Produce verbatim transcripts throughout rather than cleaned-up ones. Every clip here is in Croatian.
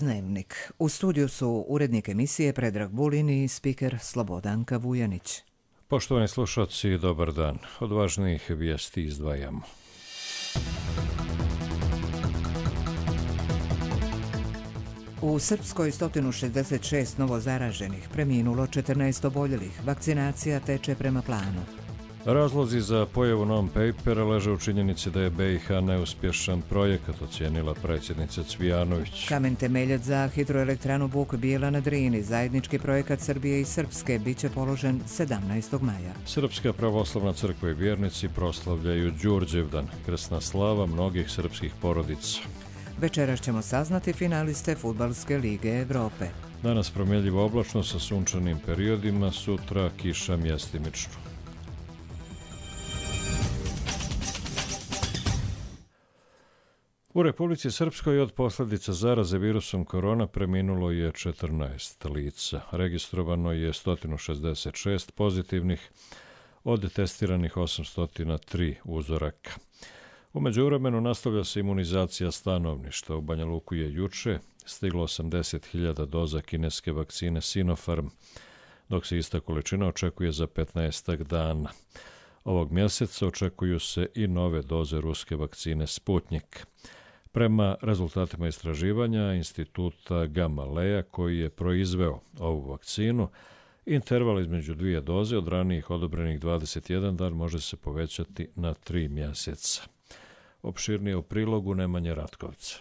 Dnevnik. U studiju su urednik emisije Predrag Bulin i spiker Slobodanka Vujanić. Poštovani slušalci, dobar dan. Od važnijih vijesti izdvajamo. U Srpskoj sto šezdeset šest novozaraženih, preminulo četrnaest oboljelih, vakcinacija teče prema planu. Razlozi za pojavu non-papera leže u činjenici da je B i H neuspješan projekat, ocijenila predsjednica Cvijanović. Kamen temeljac za hidroelektranu Buk Bijela na Drini, zajednički projekat Srbije i Srpske, bit će položen sedamnaestog maja. Srpska pravoslavna crkva i vjernici proslavljaju Đurđevdan, krsna slava mnogih srpskih porodica. Večeras ćemo saznati finaliste Fudbalske lige Evrope. Danas promjenjivo oblačno sa sunčanim periodima, sutra kiša mjestimično. U Republici Srpskoj od posljedica zaraze virusom korona preminulo je četrnaest lica. Registrovano je sto šezdeset šest pozitivnih, od testiranih osamsto tri uzoraka. U međuvremenu nastavlja se imunizacija stanovništva. U Banja Luku je juče stiglo osamdeset hiljada doza kineske vakcine Sinopharm, dok se ista količina očekuje za petnaestak dana. Ovog mjeseca očekuju se i nove doze ruske vakcine Sputnik. Prema rezultatima istraživanja Instituta Gamaleja, koji je proizveo ovu vakcinu, interval između dvije doze od ranijih odobrenih dvadeset jedan dan može se povećati na tri mjeseca. Opširnije u prilogu Nemanje Ratkovca.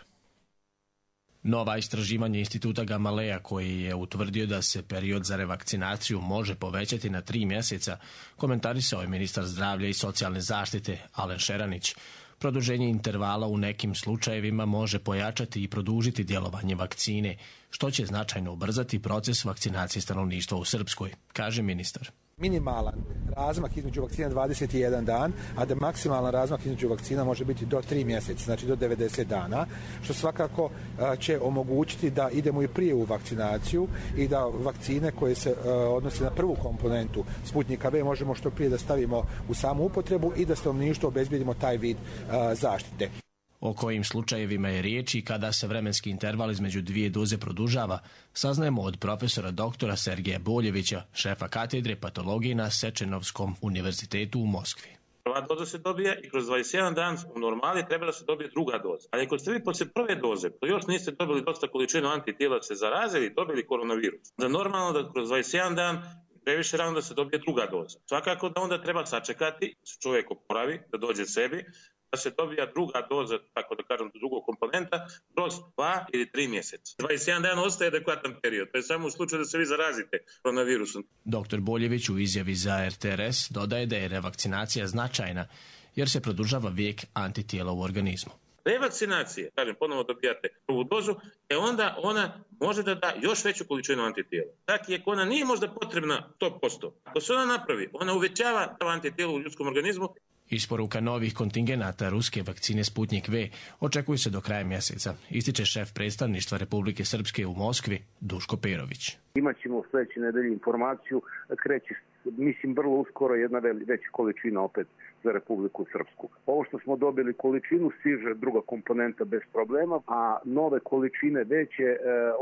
Nova istraživanja Instituta Gamaleja, koji je utvrdio da se period za revakcinaciju može povećati na tri mjeseca, komentarisao je ministar zdravlja i socijalne zaštite Alen Šeranić. Produženje intervala u nekim slučajevima može pojačati i produžiti djelovanje vakcine, što će značajno ubrzati proces vakcinacije stanovništva u Srpskoj, kaže ministar. Minimalan razmak između vakcina dvadeset jedan dan, a da maksimalan razmak između vakcina može biti do tri mjeseca, znači do devedeset dana, što svakako će omogućiti da idemo i prije u vakcinaciju i da vakcine koje se odnose na prvu komponentu Sputnika V možemo što prije da stavimo u samu upotrebu i da stanovništvu obezbijedimo taj vid zaštite. O kojim slučajevima je riječ i kada se vremenski interval između dvije doze produžava, saznajemo od profesora doktora Sergeja Boljevića, šefa katedre patologije na Sečenovskom univerzitetu u Moskvi. Prva doza se dobija i kroz dvadeset jedan dan u normali treba da se dobije druga doza. Ali ako ste vi poslije prve doze, to još niste dobili dosta količinu antitijela, se zarazili i dobili koronavirus, da normalno da kroz dvadeset jedan dan previše rano da se dobije druga doza. Svakako da onda treba sačekati, da se čovjek oporavi, da dođe sebi, da se dobija druga doza, tako da kažem, drugog komponenta, kroz dva ili tri mjeseca. dvadeset jedan dan ostaje adekvatan period, to je samo u slučaju da se vi zarazite koronavirusom. Doktor Boljević u izjavi za R T R S dodaje da je revakcinacija značajna, jer se produžava vijek antitijela u organizmu. Revakcinacije, kažem, ponovo dobijate prvu dozu, e onda ona može da da još veću količinu antitijela. Dakle, ako ona nije možda potrebna sto posto, ako se ona napravi, ona uvećava antitijelo u ljudskom organizmu. Isporuka novih kontingenata ruske vakcine Sputnik V očekuje se do kraja mjeseca, ističe šef predstavništva Republike Srpske u Moskvi Duško Perović. Imaćemo sljedeće nedelje informaciju, kreće, mislim, vrlo uskoro jedna veća količina opet za Republiku Srpsku. Ovo što smo dobili količinu stiže druga komponenta bez problema, a nove količine veće e,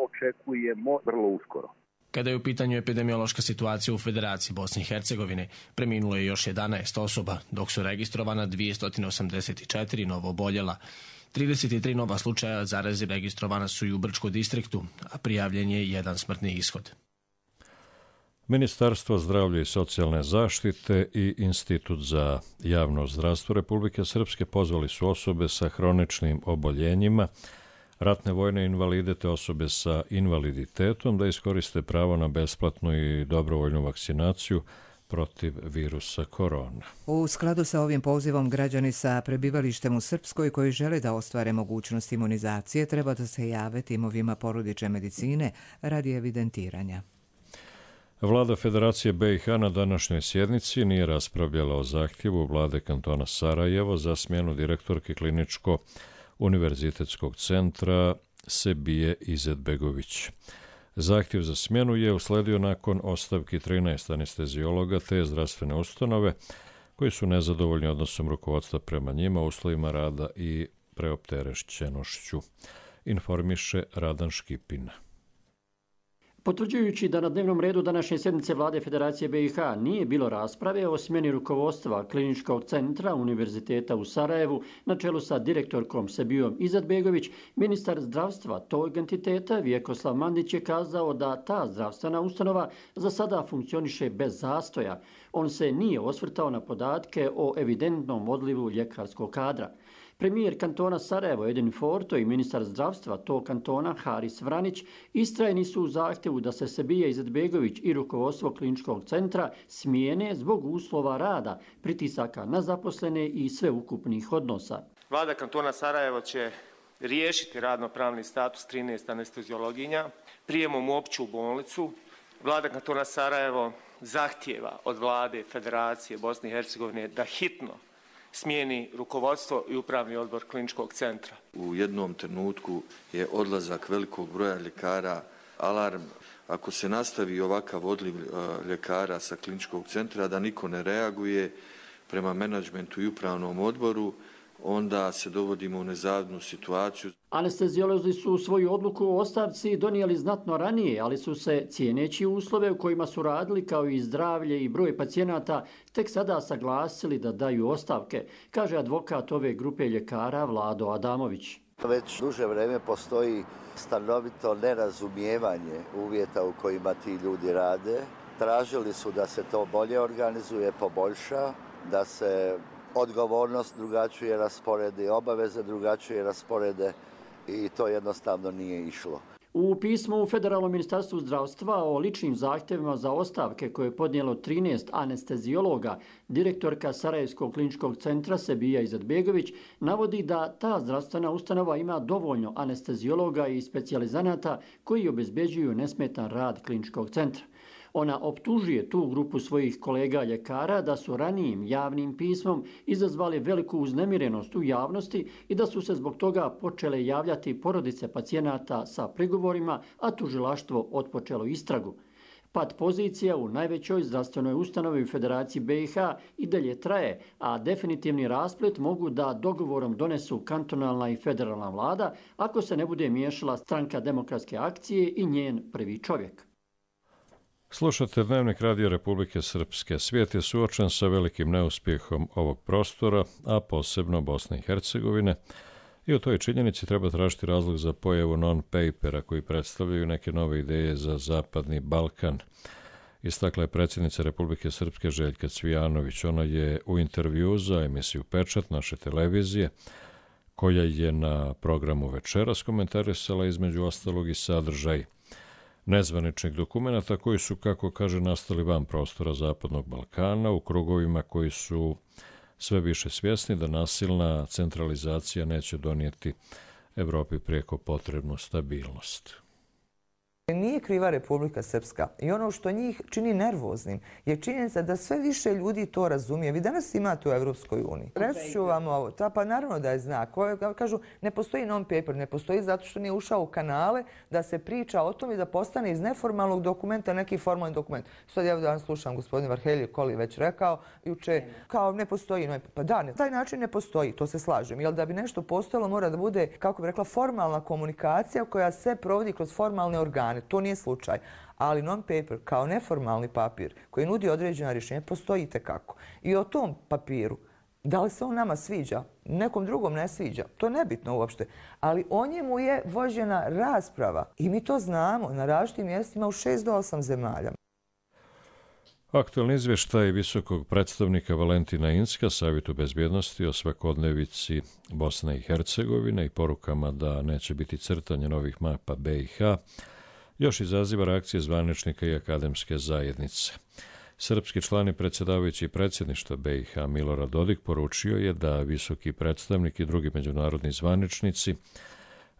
očekujemo vrlo uskoro. Kada je u pitanju epidemiološka situacija u Federaciji Bosne i Hercegovine, preminulo je još jedanaest osoba, dok su registrovana dvjesto osamdeset četiri novo oboljela. trideset tri nova slučaja zaraze registrovana su i u Brčkom distriktu, a prijavljen je jedan smrtni ishod. Ministarstvo zdravlja i socijalne zaštite i Institut za javno zdravstvo Republike Srpske pozvali su osobe sa hroničnim oboljenjima, ratne vojne invalide te osobe sa invaliditetom da iskoriste pravo na besplatnu i dobrovoljnu vakcinaciju protiv virusa korona. U skladu sa ovim pozivom, građani sa prebivalištem u Srpskoj koji žele da ostvare mogućnost imunizacije treba da se jave timovima porodične medicine radi evidentiranja. Vlada Federacije B i H na današnjoj sjednici nije raspravljala o zahtjevu vlade kantona Sarajevo za smjenu direktorke kliničko univerzitetskog centra Sebije Izetbegović. Zahtjev za smjenu je usledio nakon ostavki trinaest anesteziologa te zdravstvene ustanove koji su nezadovoljni odnosom rukovodstva prema njima, uslovima rada i preopterećenošću. informiše Radan Škipin. Potvrđujući da na dnevnom redu današnje sjednice Vlade Federacije B i H nije bilo rasprave o smjeni rukovodstva Kliničkog centra Univerziteta u Sarajevu na čelu sa direktorkom Sebijom Izadbegović, ministar zdravstva tog entiteta Vjekoslav Mandić je kazao da ta zdravstvena ustanova za sada funkcioniše bez zastoja. On se nije osvrtao na podatke o evidentnom odlivu ljekarskog kadra. Premijer kantona Sarajevo Edin Forto i ministar zdravstva tog kantona Haris Vranić istrajni su u zahtjevu da se Sebija Izadbegović i rukovodstvo kliničkog centra smijene zbog uslova rada, pritisaka na zaposlene i sveukupnih odnosa. Vlada kantona Sarajevo će riješiti radno-pravni status trinaest anesteziologinja prijemom u opću bolnicu. Vlada kantona Sarajevo zahtijeva od Vlade Federacije Bosne i Hercegovine da hitno smijeni rukovodstvo i upravni odbor kliničkog centra. U jednom trenutku je odlazak velikog broja ljekara alarm. Ako se nastavi ovakav odliv ljekara sa kliničkog centra, da niko ne reaguje prema menadžmentu i upravnom odboru, onda se dovodimo u nezavidnu situaciju. Anesteziolozi su svoju odluku o ostavci donijeli znatno ranije, ali su se, cijeneći uslove u kojima su radili kao i zdravlje i broj pacijenata, tek sada saglasili da daju ostavke, kaže advokat ove grupe ljekara Vlado Adamović. Već duže vreme postoji stanovito nerazumijevanje uvjeta u kojima ti ljudi rade. Tražili su da se to bolje organizuje, poboljša, da se odgovornost drugačije rasporede, obaveze drugačije rasporede i to jednostavno nije išlo. U pismu u Federalnom ministarstvu zdravstva o ličnim zahtjevima za ostavke koje je podnijelo trinaest anesteziologa, direktorka Sarajevskog kliničkog centra Sebija Izadbegović navodi da ta zdravstvena ustanova ima dovoljno anesteziologa i specijalizanata koji obezbeđuju nesmetan rad kliničkog centra. Ona optužuje tu grupu svojih kolega ljekara da su ranijim javnim pismom izazvali veliku uznemirenost u javnosti i da su se zbog toga počele javljati porodice pacijenata sa prigovorima, a tužilaštvo otpočelo istragu. Pad pozicija u najvećoj zdravstvenoj ustanovi u Federaciji B i H i dalje traje, a definitivni rasplet mogu da dogovorom donesu kantonalna i federalna vlada ako se ne bude miješala Stranka demokratske akcije i njen prvi čovjek. Slušate Dnevnik Radio Republike Srpske. Svijet je suočen sa velikim neuspjehom ovog prostora, a posebno Bosne i Hercegovine, i u toj činjenici treba tražiti razlog za pojavu non-papera koji predstavljaju neke nove ideje za Zapadni Balkan. Istakla je predsjednica Republike Srpske Željka Cvijanović. Ona je u intervju za emisiju Pečat naše televizije, koja je na programu Večeras, komentarisala između ostalog i sadržaj nezvaničnih dokumenata koji su, kako kaže, nastali van prostora Zapadnog Balkana u krugovima koji su sve više svjesni da nasilna centralizacija neće donijeti Evropi prijeko potrebnu stabilnost. Nije kriva Republika Srpska i ono što njih čini nervoznim je činjenica da sve više ljudi to razumije. Vi danas imate u Evropskoj uniji. Reći ću vam ovo, ta, pa naravno da je znak. Kažu, ne postoji non-paper, ne postoji zato što nije ušao u kanale da se priča o tom i da postane iz neformalnog dokumenta neki formalni dokument. Sad ja danas slušam gospodin Varhelije Koli već rekao juče, kao ne postoji non-paper. Pa da, na taj način ne postoji, to se slažem. Jer da bi nešto postojalo mora da bude, kako bi rekla, formalna komunikacija koja se provodi kroz formalne organe. To nije slučaj, ali non-paper kao neformalni papir koji nudi određena rješenja postoji itekako. I o tom papiru, da li se on nama sviđa, nekom drugom ne sviđa, to je nebitno uopšte, ali o njemu je vođena rasprava i mi to znamo na različitim mjestima u šest do osam zemalja. Aktualni izvještaj visokog predstavnika Valentina Inzka Savjetu bezbjednosti o svakodnevici Bosne i Hercegovine i porukama da neće biti crtanje novih mapa B i H još izaziva reakcije zvaničnika i akademske zajednice. Srpski član i predsjedavajući predsjedništva B i H Milorad Dodik poručio je da visoki predstavnik i drugi međunarodni zvaničnici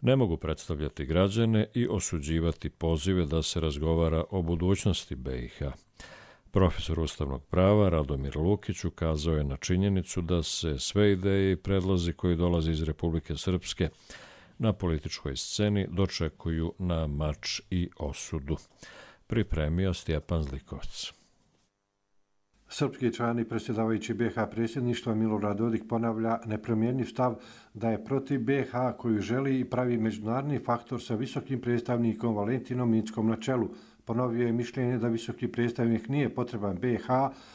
ne mogu predstavljati građane i osuđivati pozive da se razgovara o budućnosti B i H. Profesor ustavnog prava Radomir Lukić ukazao je na činjenicu da se sve ideje i predlozi koji dolaze iz Republike Srpske na političkoj sceni dočekuju na mač i osudu. Pripremio Stjepan Zlikovac. Srpski član i predsjedavajući B iH predsjedništva Milorad Dodik ponavlja nepromjenjiv stav da je protiv B iH koju želi i pravi međunarodni faktor sa visokim predstavnikom Valentinom Inckom na čelu. Ponovio je mišljenje da visoki predstavnik nije potreban B iH,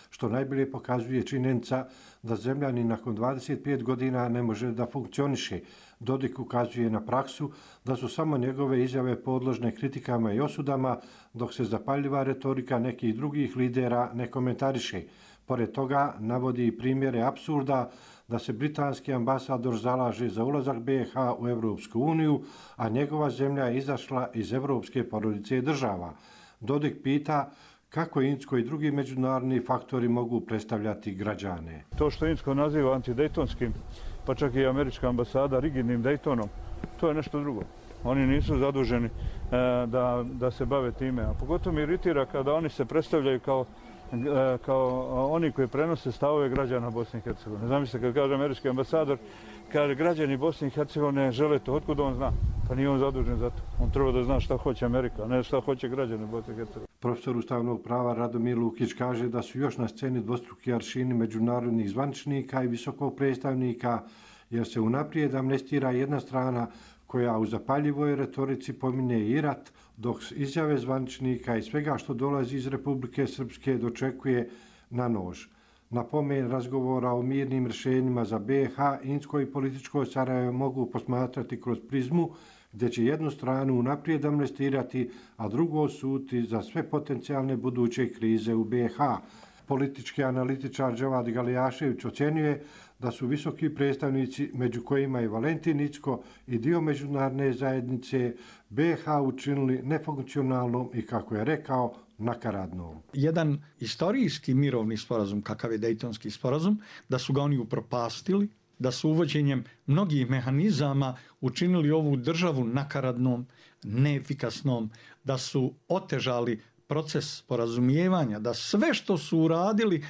što najbolje pokazuje činjenica da zemlja ni nakon dvadeset pet godina ne može da funkcioniše. Dodik ukazuje na praksu da su samo njegove izjave podložne kritikama i osudama, dok se zapaljiva retorika nekih drugih lidera ne komentariše. Pored toga navodi i primjere apsurda da se britanski ambasador zalaže za ulazak B iH u Europsku uniju, a njegova zemlja je izašla iz evropske porodice država. Dodik pita kako Incko i drugi međunarodni faktori mogu predstavljati građane. To što Incko naziva antidejtonskim, pa čak i američka ambasada rigidnim Daytonom, to je nešto drugo. Oni nisu zaduženi da, da se bave time. A pogotovo mi iritira kada oni se predstavljaju kao, kao oni koji prenose stavove građana Bosne i Hercegovine. Zamislite kad kaže američki ambasador, kaže građani Bosne i Hercegovine žele to, otkud on zna? Pa nije on zadužen za to. On treba da zna šta hoće Amerika, a ne šta hoće građani Bosne i Hercegovine. Profesor ustavnog prava Radomir Lukić kaže da su još na sceni dvostruki aršini međunarodnih zvaničnika i visokog predstavnika, jer se unaprijed amnestira jedna strana koja u zapaljivoj retorici pominje i rat, dok izjave zvaničnika i svega što dolazi iz Republike Srpske dočekuje na nož. Na pomen razgovora o mirnim rješenjima za B iH, Incko i političko Sarajevo mogu posmatrati kroz prizmu gdje će jednu stranu unaprijed amnestirati, a drugu osuditi za sve potencijalne buduće krize u B iH. Politički analitičar Dževad Galijašević ocjenjuje da su visoki predstavnici, među kojima i Valentin Incko i dio međunarodne zajednice, B iH učinili nefunkcionalnom i, kako je rekao, nakaradnom. Jedan istorijski mirovni sporazum, kakav je Dejtonski sporazum, da su ga oni upropastili, da su uvođenjem mnogih mehanizama učinili ovu državu nakaradnom, neefikasnom, da su otežali proces sporazumijevanja, da sve što su uradili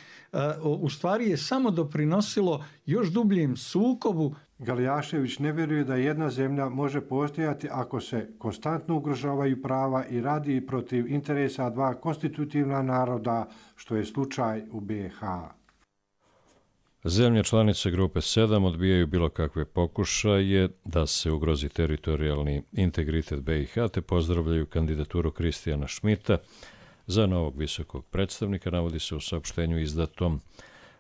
u stvari je samo doprinosilo još dubljem sukobu. Galijašević ne vjeruje da jedna zemlja može postojati ako se konstantno ugrožavaju prava i radi protiv interesa dva konstitutivna naroda, što je slučaj u B iH. Zemlje članice grupe sedam odbijaju bilo kakve pokušaje da se ugrozi teritorijalni integritet B iH, te pozdravljaju kandidaturu Kristijana Šmita za novog visokog predstavnika, navodi se u saopštenju izdatom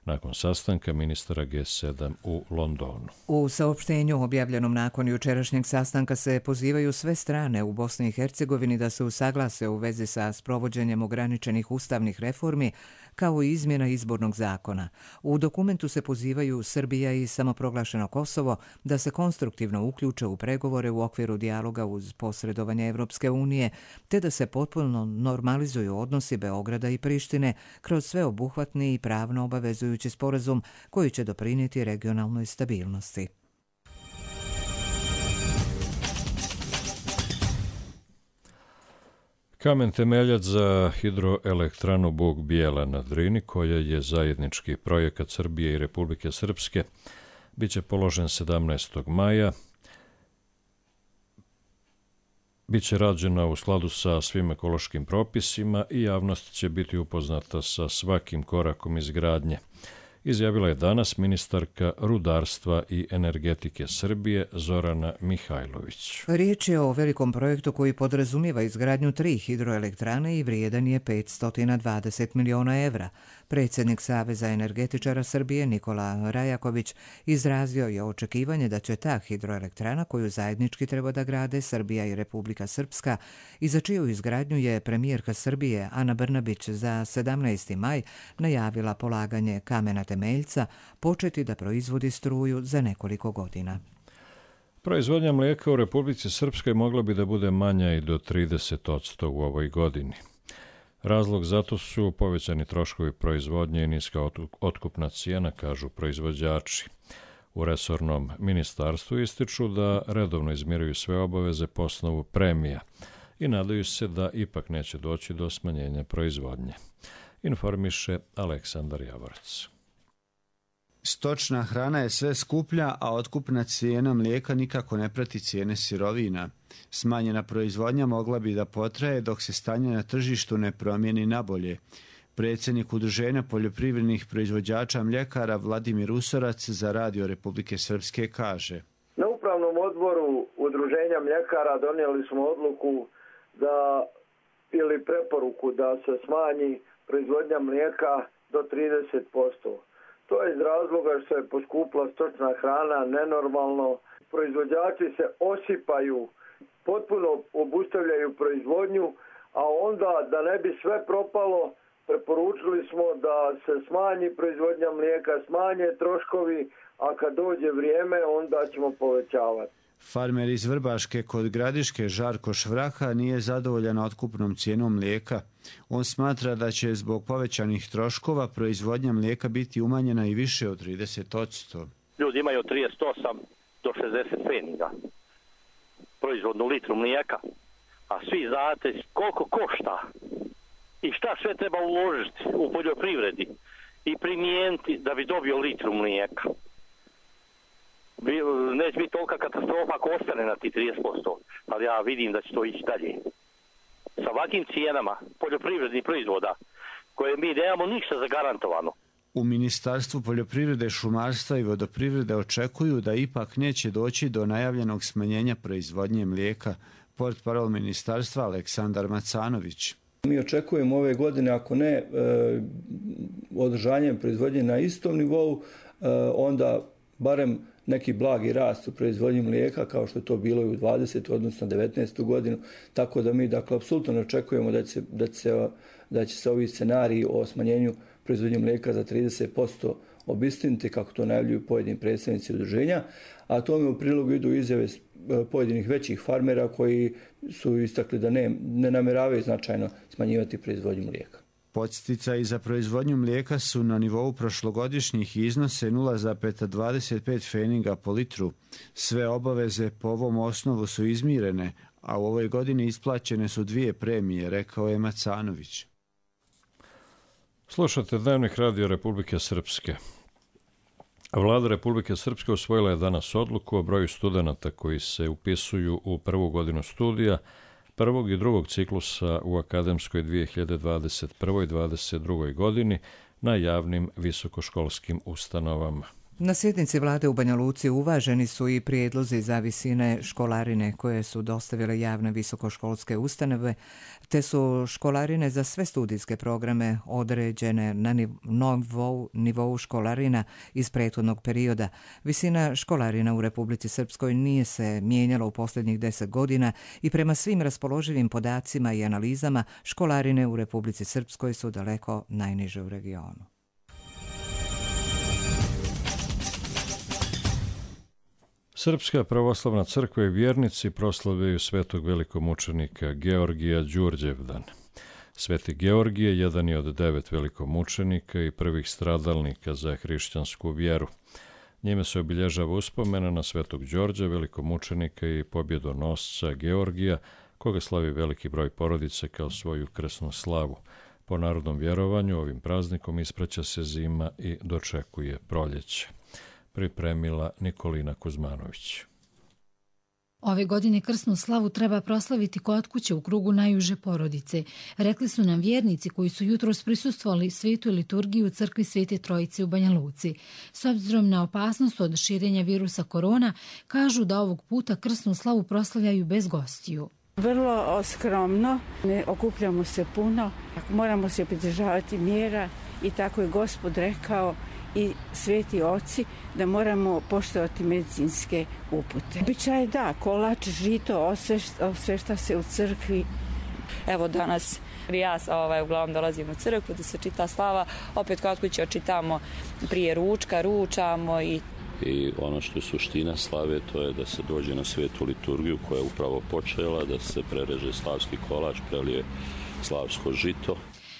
nakon sastanka ministara G sedam u Londonu. U saopštenju objavljenom nakon jučerašnjeg sastanka se pozivaju sve strane u Bosni i Hercegovini da se usaglase u vezi sa sprovođenjem ograničenih ustavnih reformi kao i izmjena izbornog zakona. U dokumentu se pozivaju Srbija i samoproglašeno Kosovo da se konstruktivno uključe u pregovore u okviru dijaloga uz posredovanje Evropske unije, te da se potpuno normalizuju odnosi Beograda i Prištine kroz sveobuhvatni i pravno obavezujući sporazum koji će doprinijeti regionalnoj stabilnosti. Kamen temeljac za hidroelektranu Bug Bijela na Drini, koja je zajednički projekat Srbije i Republike Srpske, bit će položen sedamnaestog maja. Biće rađena u skladu sa svim ekološkim propisima i javnost će biti upoznata sa svakim korakom izgradnje, izjavila je danas ministarka rudarstva i energetike Srbije Zorana Mihajlović. Riječ je o velikom projektu koji podrazumijeva izgradnju tri hidroelektrane i vrijedan je petsto dvadeset miliona evra. Predsjednik Saveza energetičara Srbije Nikola Rajaković izrazio je očekivanje da će ta hidroelektrana, koju zajednički treba da grade Srbija i Republika Srpska i za čiju izgradnju je premijerka Srbije Ana Brnabić za sedamnaesti maj najavila polaganje kamena temeljca, početi da proizvodi struju za nekoliko godina. Proizvodnja mlijeka u Republici Srpskoj mogla bi da bude manja i do trideset posto u ovoj godini. Razlog zato su povećani troškovi proizvodnje i niska otkupna cijena, kažu proizvođači. U resornom ministarstvu ističu da redovno izmiruju sve obaveze po osnovu premija i nadaju se da ipak neće doći do smanjenja proizvodnje, informiše Aleksandar Javorac. Stočna hrana je sve skuplja, a otkupna cijena mlijeka nikako ne prati cijene sirovina. Smanjena proizvodnja mogla bi da potraje dok se stanje na tržištu ne promijeni nabolje. Predsjednik Udruženja poljoprivrednih proizvođača mljekara Vladimir Usorac za Radio Republike Srpske kaže: Na upravnom odboru Udruženja mljekara donijeli smo odluku da ili preporuku da se smanji proizvodnja mlijeka do trideset posto. To je iz razloga što je poskupila stočna hrana nenormalno. Proizvođači se osipaju, potpuno obustavljaju proizvodnju, a onda da ne bi sve propalo, preporučili smo da se smanji proizvodnja mlijeka, smanje troškovi, a kad dođe vrijeme onda ćemo povećavati. Farmer iz Vrbaške kod Gradiške Žarko Švraka nije zadovoljan otkupnom cijenom mlijeka. On smatra da će zbog povećanih troškova proizvodnja mlijeka biti umanjena i više od trideset posto. Ljudi imaju od trideset osam do šezdeset pfeniga proizvodnu litru mlijeka, a svi znate koliko košta i šta sve treba uložiti u poljoprivredi i primijeniti da bi dobio litru mlijeka. Neće biti tolika katastrofa ako ostane na ti trideset posto, ali ja vidim da će to ići dalje. Sa ovakvim cijenama poljoprivrednih proizvoda koje mi nemamo ništa zagarantovano. U Ministarstvu poljoprivrede, šumarstva i vodoprivrede očekuju da ipak neće doći do najavljenog smanjenja proizvodnje mlijeka. Portparol ministarstva Aleksandar Macanović. Mi očekujemo ove godine, ako ne e, održanjem proizvodnje na istom nivou, e, onda barem neki blagi rast u proizvodnji mlijeka, kao što je to bilo i u dvadesetu odnosno devetnaestu godinu, tako da mi dakle apsolutno očekujemo da će, da će, da će se ovi scenariji o smanjenju proizvodnje mlijeka za trideset posto obistiniti, kako to najavljuju pojedini predstavnici udruženja, a tome u prilogu idu izjave pojedinih većih farmera koji su istakli da ne, ne namjeravaju značajno smanjivati proizvodnju mlijeka. Podsticaji za proizvodnju mlijeka su na nivou prošlogodišnjih i iznose nula zarez dvadeset pet pfeniga po litru. Sve obaveze po ovom osnovu su izmirene, a u ovoj godini isplaćene su dvije premije, rekao je Macanović. Slušate Dnevnik Radio Republike Srpske. Vlada Republike Srpske usvojila je danas odluku o broju studenata koji se upisuju u prvu godinu studija prvog i drugog ciklusa u akademskoj dvije hiljade dvadeset prve. i dvadeset druge. godini na javnim visokoškolskim ustanovama. Na sjednici vlade u Banja Luci uvaženi su i prijedlozi za visine školarine koje su dostavile javne visokoškolske ustanove, te su školarine za sve studijske programe određene na nivou, nivou školarina iz prethodnog perioda. Visina školarina u Republici Srpskoj nije se mijenjala u posljednjih deset godina i prema svim raspoloživim podacima i analizama školarine u Republici Srpskoj su daleko najniže u regionu. Srpska pravoslavna crkva i vjernici proslavljaju svetog velikomučenika Georgija Đurđevdan. Sveti Georgije jedan je od devet velikomučenika i prvih stradalnika za hrišćansku vjeru. Njime se obilježava uspomena na svetog Đorđa, velikomučenika i pobjedonosca Georgija, koga slavi veliki broj porodice kao svoju krsnu slavu. Po narodnom vjerovanju ovim praznikom ispraća se zima i dočekuje proljeće. Pripremila Nikolina Kuzmanović. Ove godine krsnu slavu treba proslaviti kod kuće u krugu najuže porodice. Rekli su nam vjernici koji su jutros prisustvovali svetu liturgiju u crkvi Svete Trojice u Banja Luci. S obzirom na opasnost od širenja virusa korona, kažu da ovog puta krsnu slavu proslavljaju bez gostiju. Vrlo skromno, ne okupljamo se puno, moramo se pridržavati mjera i tako je Gospod rekao i sveti oci da moramo poštovati medicinske upute. Običaj da, kolač, žito, osvešta se u crkvi. Evo danas ja ovaj, uglavnom dolazim u crkvu da se čita slava, opet kod kuće očitamo prije ručka, ručamo i I ono što je suština slave, to je da se dođe na svetu liturgiju koja je upravo počela, da se prereže slavski kolač, prelije slavsko žito.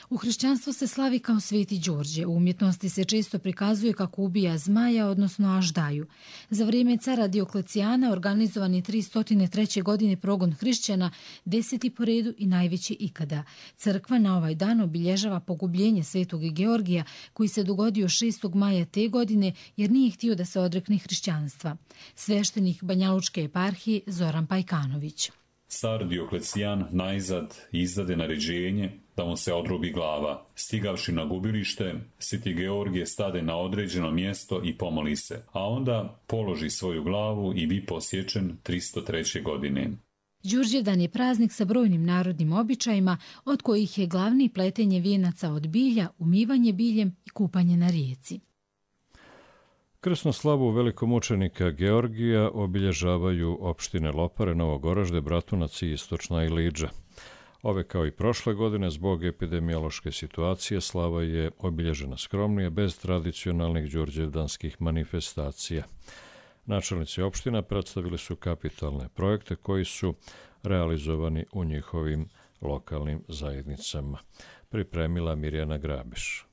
U hrišćanstvu se slavi kao Sveti Đorđe. U umjetnosti se često prikazuje kako ubija zmaja, odnosno aždaju. Za vrijeme cara Dioklecijana organizovan je tristo treće. godine progon hrišćana, deseti po redu i najveći ikada. Crkva na ovaj dan obilježava pogubljenje Svetog Georgija koji se dogodio šestog maja te godine jer nije htio da se odrekne hrišćanstva. Sveštenik Banjalučke eparhije Zoran Pajkanović. Car Dioklecijan najzad izdade naređenje da mu se odrubi glava. Stigavši na gubilište, Sveti Georgije stade na određeno mjesto i pomoli se, a onda položi svoju glavu i bi posječen tristo treće godine. Đurđevdan je praznik sa brojnim narodnim običajima, od kojih je glavni pletenje vijenaca od bilja, umivanje biljem i kupanje na rijeci. Krsnu slavu velikomučenika Georgija obilježavaju opštine Lopare, Novog Oražde, Bratunac i Istočna Iliđa. Ove kao i prošle godine zbog epidemiološke situacije slava je obilježena skromnije bez tradicionalnih đurđevdanskih manifestacija. Načelnici opština predstavili su kapitalne projekte koji su realizovani u njihovim lokalnim zajednicama. Pripremila Mirjana Grabiš.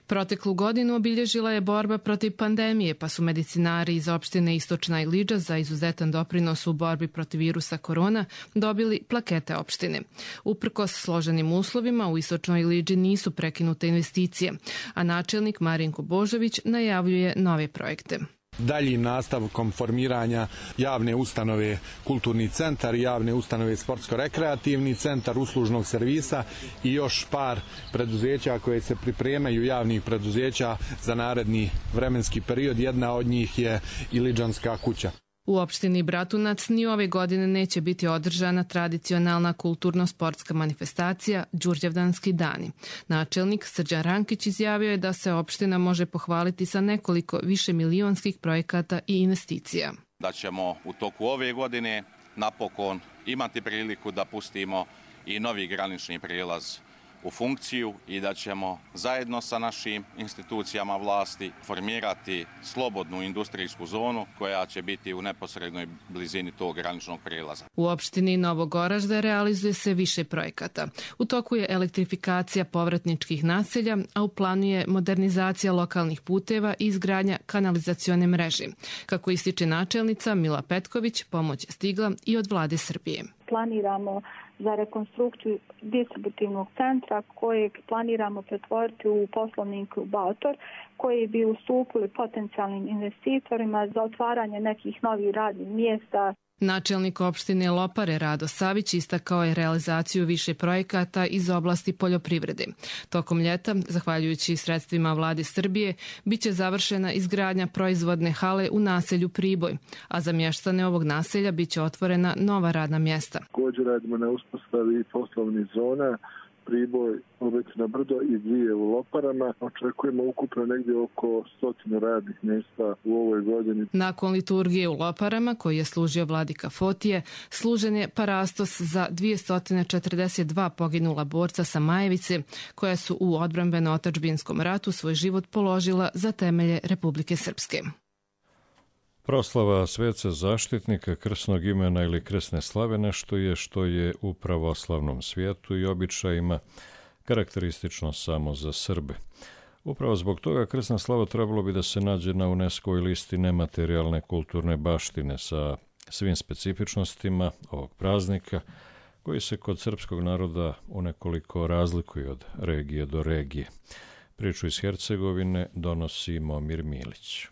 Proteklu godinu obilježila je borba protiv pandemije, pa su medicinari iz opštine Istočna Iliđa za izuzetan doprinos u borbi protiv virusa korona dobili plakete opštine. Uprkos složenim uslovima u Istočnoj Iliđi nisu prekinute investicije, a načelnik Marinko Božović najavljuje nove projekte. Daljim nastavkom formiranja javne ustanove Kulturni centar, javne ustanove Sportsko-rekreativni centar, uslužnog servisa i još par preduzeća koje se pripremaju, javnih preduzeća za naredni vremenski period. Jedna od njih je Iliđanska kuća. U opštini Bratunac ni ove godine neće biti održana tradicionalna kulturno-sportska manifestacija Đurđevdanski dani. Načelnik Srđan Rankić izjavio je da se opština može pohvaliti sa nekoliko višemilionskih projekata i investicija. Da ćemo u toku ove godine napokon imati priliku da pustimo i novi granični prijelaz u funkciju i da ćemo zajedno sa našim institucijama vlasti formirati slobodnu industrijsku zonu koja će biti u neposrednoj blizini tog graničnog prijelaza. U opštini Novog Oražde realizuje se više projekata. U toku je elektrifikacija povratničkih naselja, a u planu je modernizacija lokalnih puteva i izgradnja kanalizacione mreže. Kako ističe načelnica Mila Petković, pomoć je stigla i od vlade Srbije. Planiramo za rekonstrukciju distributivnog centra kojeg planiramo pretvoriti u poslovni inkubator koji bi ustupili potencijalnim investitorima za otvaranje nekih novih radnih mjesta. Načelnik opštine Lopare Rado Savić istakao je realizaciju više projekata iz oblasti poljoprivrede. Tokom ljeta, zahvaljujući sredstvima vlade Srbije, bit će završena izgradnja proizvodne hale u naselju Priboj, a za mještane ovog naselja bit će otvorena nova radna mjesta. Također radimo na uspostavi poslovnih zona Priboj, Obećina Brdo i dvije u Loparama. Očekujemo ukupno negdje oko stotinu radnih mjesta u ovoj godini. Nakon liturgije u Loparama, koji je služio vladika Fotije, služen je parastos za dvjesto četrdeset dva poginula borca sa Majevice, koja su u odbrambeno-otadžbinskom ratu svoj život položila za temelje Republike Srpske. Proslava sveca zaštitnika, krsnog imena ili krsne slave nešto je što je u pravoslavnom svijetu i običajima karakteristično samo za Srbe. Upravo zbog toga krsna slava trebalo bi da se nađe na UNESCO-voj listi nematerijalne kulturne baštine sa svim specifičnostima ovog praznika, koji se kod srpskog naroda unekoliko razlikuje od regije do regije. Priču iz Hercegovine donosi Momir Milić.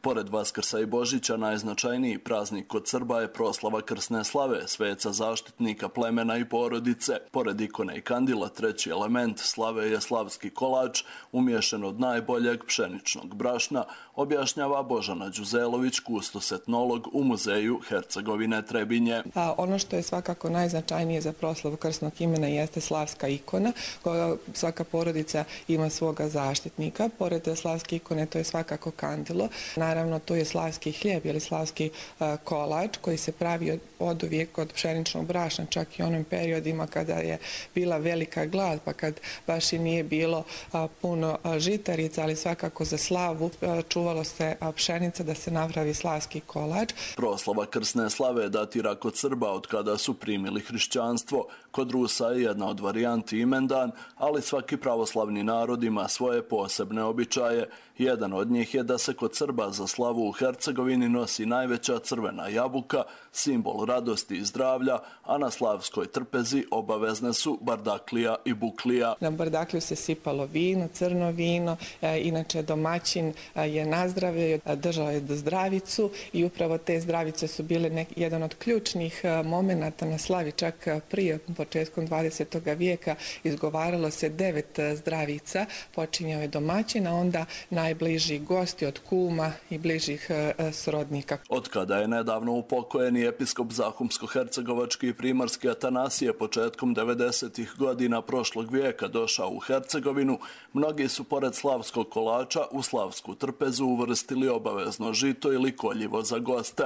Pored Vaskrsa i Božića, najznačajniji praznik kod Srba je proslava krsne slave, sveca zaštitnika plemena i porodice. Pored ikone i kandila, treći element slave je slavski kolač, umješan od najboljeg pšeničnog brašna, objašnjava Božana Đuzelović, kustos etnolog u muzeju Hercegovine Trebinje. A ono što je svakako najznačajnije za proslavu krsnog imena jeste slavska ikona, koja svaka porodica ima svoga zaštitnika. Pored slavske ikone to je svakako kandilo. Naravno, to je slavski hljeb ili slavski uh, kolač koji se pravi od uvijek od pšeničnog brašna, čak i onim periodima kada je bila velika glad, pa kad baš i nije bilo uh, puno uh, žitarica, ali svakako za slavu uh, čuvalo se uh, pšenica da se napravi slavski kolač. Proslava krsne slave datira kod Srba od kada su primili hrišćanstvo. Kod Rusa je jedna od varijanti imendan, ali svaki pravoslavni narod ima svoje posebne običaje. Jedan od njih je da se kod Srba za slavu u Hercegovini nosi najveća crvena jabuka, simbol radosti i zdravlja, a na slavskoj trpezi obavezne su bardaklija i buklija. Na bardakliju se sipalo vino, crno vino, e, inače domaćin e, je nazdravio, držao je do zdravicu i upravo te zdravice su bile nek, jedan od ključnih e, momenata na slavi, čak prije početkom dvadesetog vijeka izgovaralo se devet zdravica, počinjao je domaćin, a onda najbliži gosti od kuma i bližih srodnika. Od kada je nedavno upokojeni episkop Zahumsko-hercegovački i primarski Atanasije početkom devedesetih godina prošlog vijeka došao u Hercegovinu, mnogi su pored slavskog kolača u slavsku trpezu uvrstili obavezno žito ili koljivo za goste.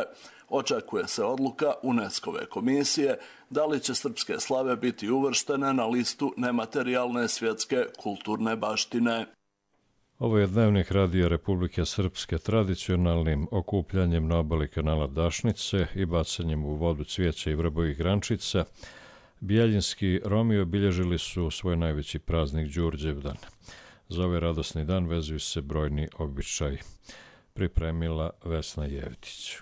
Očekuje se odluka UNESCO-ve komisije da li će srpske slave biti uvrštene na listu nematerijalne svjetske kulturne baštine. Ovo je Dnevnik Radija Republike Srpske tradicionalnim okupljanjem na obali kanala Dašnice i bacanjem u vodu cvijeća i vrbovih grančica. Bijeljinski Romi obilježili su svoj najveći praznik Đurđevdan. Za ovaj radosni dan vezuju se brojni običaji. Pripremila Vesna Jevtić.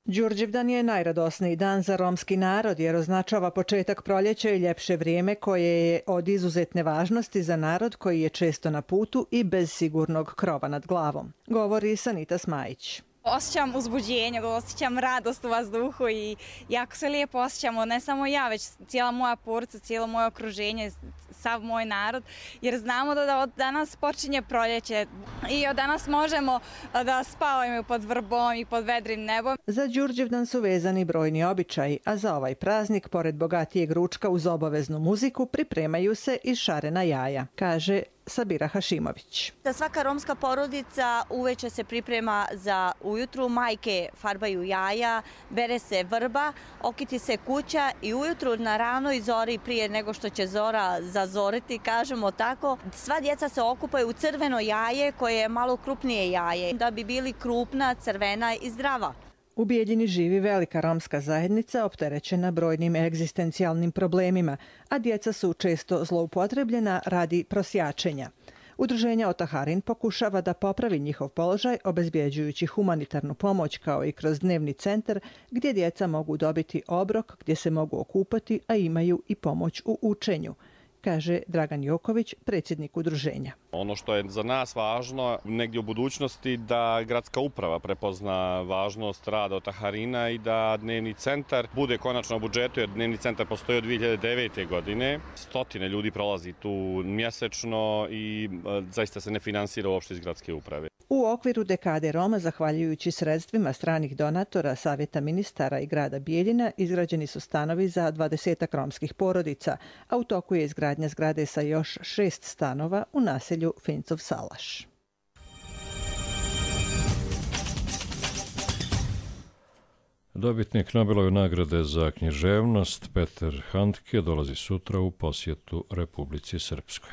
Đurđevdan je najradosniji dan za romski narod jer označava početak proljeća i ljepše vrijeme koje je od izuzetne važnosti za narod koji je često na putu i bez sigurnog krova nad glavom, govori Sanita Smajić. Osjećam uzbuđenje, osjećam radost u vazduhu i jako se lijepo osjećamo, ne samo ja, već cijela moja porodica, cijelo moje okruženje, sav moj narod, jer znamo da od danas počinje proljeće i od danas možemo da spavamo pod vrbom i pod vedrim nebom. Za Đurđevdan su vezani brojni običaji, a za ovaj praznik, pored bogatijeg ručka uz obaveznu muziku, pripremaju se i šarena jaja, kaže Sabira Hašimović. Da svaka romska porodica uveče se priprema za ujutru, majke farbaju jaja, bere se vrba, okiti se kuća i ujutru na ranoj zori prije nego što će zora zazoriti, kažemo tako, sva djeca se okupaju u crveno jaje koje je malo krupnije jaje, da bi bili krupna, crvena i zdrava. U Bijeljini živi velika romska zajednica opterećena brojnim egzistencijalnim problemima, a djeca su često zloupotrebljena radi prosjačenja. Udruženje Otaharin pokušava da popravi njihov položaj obezbjeđujući humanitarnu pomoć kao i kroz dnevni centar gdje djeca mogu dobiti obrok, gdje se mogu okupati, a imaju i pomoć u učenju, kaže Dragan Joković, predsjednik udruženja. Ono što je za nas važno negdje u budućnosti da gradska uprava prepozna važnost rada Otaharina i da dnevni centar bude konačno u budžetu, jer dnevni centar postoji od dvije hiljade devete. godine. Stotine ljudi prolazi tu mjesečno i zaista se ne finansira uopšte iz gradske uprave. U okviru dekade Roma, zahvaljujući sredstvima stranih donatora, Savjeta ministara i grada Bijeljina, izgrađeni su stanovi za dvadesetak romskih porodica, a u toku je izgradnja zgrade sa još šest stanova u naselju Fincov Salaš. Dobitnik Nobelove nagrade za književnost Peter Handke dolazi sutra u posjetu Republici Srpskoj.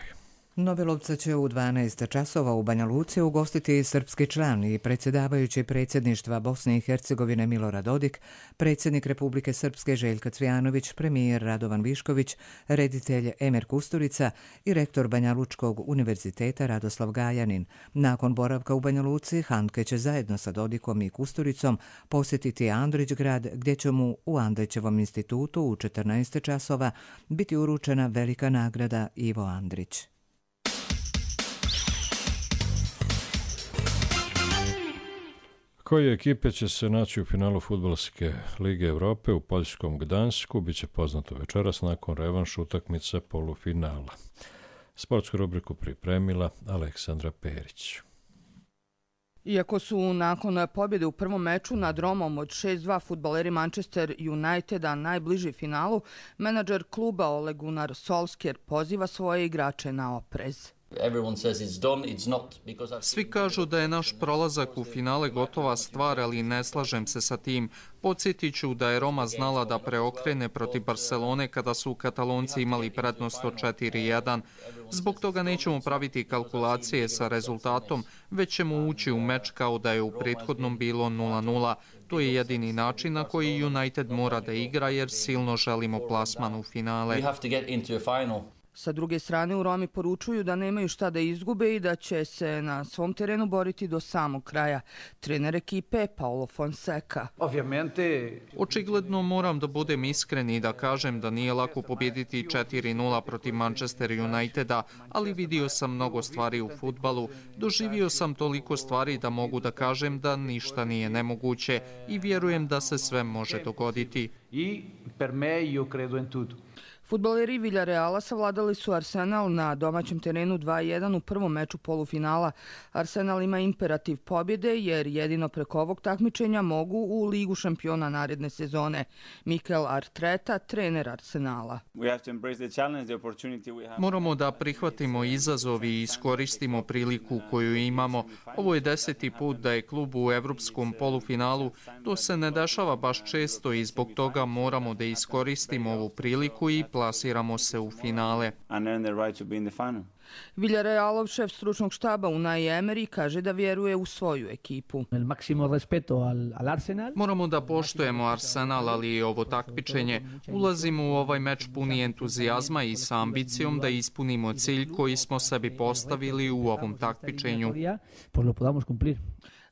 Nobelovca će u dvanaest časova u Banja Luci ugostiti srpski član i predsjedavajući predsjedništva Bosne i Hercegovine Milorad Dodik, predsjednik Republike Srpske Željka Cvijanović, premijer Radovan Višković, reditelj Emer Kusturica i rektor Banja Lučkog univerziteta Radoslav Gajanin. Nakon boravka u Banja Luci, Handke će zajedno sa Dodikom i Kusturicom posjetiti Andrićgrad, gdje će mu u Andrićevom institutu u četrnaest časova biti uručena velika nagrada Ivo Andrić. Koje ekipe će se naći u finalu Fudbalske lige Evrope u poljskom Gdansku biće poznato večeras nakon revanš utakmice polufinala. Sportsku rubriku pripremila Aleksandra Perić. Iako su nakon pobjede u prvom meču nad Romom od šest dva fudbaleri Manchester Uniteda najbliži finalu, menadžer kluba Ole Gunnar Solskjaer poziva svoje igrače na oprez. Svi kažu da je naš prolazak u finale gotova stvar, ali ne slažem se sa tim. Podsjetit ću da je Roma znala da preokrene protiv Barcelone kada su Katalonci imali prednost od četiri jedan. Zbog toga nećemo praviti kalkulacije sa rezultatom, već ćemo ući u meč kao da je u prethodnom bilo nula nula. To je jedini način na koji United mora da igra jer silno želimo plasman u finale. Sa druge strane, u Romi poručuju da nemaju šta da izgube i da će se na svom terenu boriti do samog kraja. Trener ekipe Paulo Fonseca. Očigledno moram da budem iskren i da kažem da nije lako pobijediti četiri nula protiv Manchester Uniteda, ali vidio sam mnogo stvari u fudbalu. Doživio sam toliko stvari da mogu da kažem da ništa nije nemoguće i vjerujem da se sve može dogoditi. Fudbaleri Villareala savladali su Arsenal na domaćem terenu dva jedan u prvom meču polufinala. Arsenal ima imperativ pobjede jer jedino preko ovog takmičenja mogu u Ligu šampiona naredne sezone. Mikel Arteta, trener Arsenala. Moramo da prihvatimo izazov i iskoristimo priliku koju imamo. Ovo je deseti put da je klub u evropskom polufinalu. To se ne dešava baš često i zbog toga moramo da iskoristimo ovu priliku i plasiramo se u finale. Villarealov šef stručnog štaba Unai Emery kaže da vjeruje u svoju ekipu. Moramo da poštujemo Arsenal, ali i ovo takmičenje. Ulazimo u ovaj meč puni entuzijazma i sa ambicijom da ispunimo cilj koji smo sebi postavili u ovom takmičenju.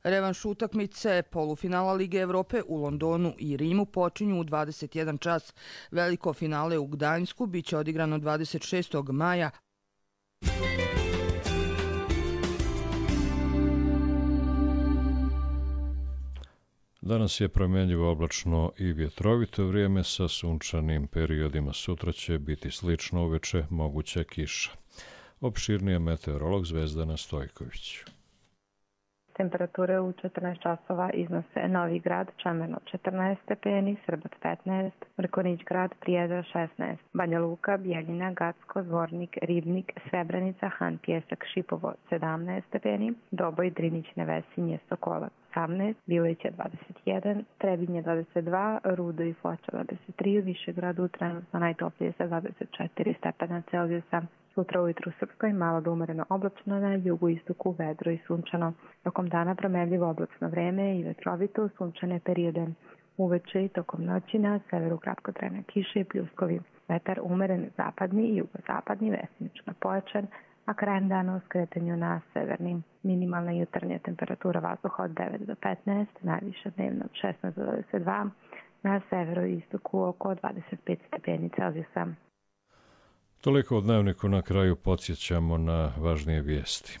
Revanš utakmice polufinala Lige Evrope u Londonu i Rimu počinju u dvadeset jedan čas. Veliko finale u Gdańsku biće odigrano dvadeset šestog maja. Danas je promjenjivo oblačno i vjetrovito vrijeme sa sunčanim periodima. Sutra će biti slično uveče, moguća kiša. Opširnije meteorolog Zvezdana Stojković. Temperature u četrnaest časova iznose Novi Grad, Čemerno četrnaest stepeni, Srbac petnaest, Mrkonić Grad, Prijedor šesnaest, Banja Luka, Bijeljina, Gacko, Zvornik, Ribnik, Srebrenica, Han Pjesak, Šipovo sedamnaest stepeni, Doboj, Drinić, Nevesinje, Sokolac osamnaest, Bileća dvadeset jedan, Trebinje dvadeset dva, Rudo i Foča dvadeset tri, Višegradu trenutno najtoplije sa dvadeset četiri stepena Celzijusa. Sutra ujutru u Srpskoj malo do umereno oblačno, na jugu istoku vedro i sunčano. Tokom dana promenljivo oblačno vreme i vetrovito, sunčane periode. Uveče i tokom noći na severu kratkotrajne kiše i pljuskovi. Vetar umeren zapadni i jugozapadni, vesnično pojačan, a krajem dana u skretanju na severni. Minimalna jutarnja temperatura vazduha od devet do petnaest, najviša dnevna od šesnaest do dvadeset dva, na severu i istoku oko dvadeset pet stepeni Celzijusa. Toliko od dnevniku, na kraju podsjećamo na važnije vijesti.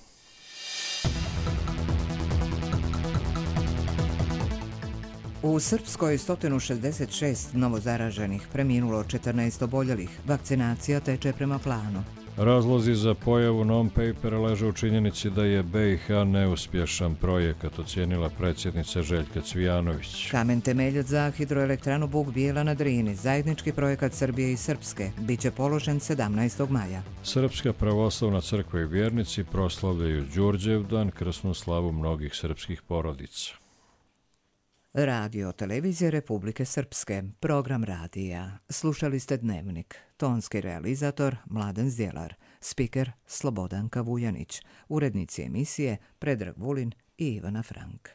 U Srpskoj sto šezdeset šest novozaraženih, preminulo četrnaest oboljelih. Vakcinacija teče prema planu. Razlozi za pojavu non-papera leže u činjenici da je B i H neuspješan projekat, ocijenila predsjednica Željka Cvijanović. Kamen temeljac za hidroelektranu Buk Bijela na Drini, zajednički projekat Srbije i Srpske, biće položen sedamnaestog maja. Srpska pravoslavna crkva i vjernici proslavljaju Đurđevdan, krsnu slavu mnogih srpskih porodica. Radio Televizije Republike Srpske, program radija. Slušali ste Dnevnik. Tonski realizator Mladen Zdjelar, spiker Slobodanka Vujanić, urednici emisije Predrag Vulin i Ivana Frank.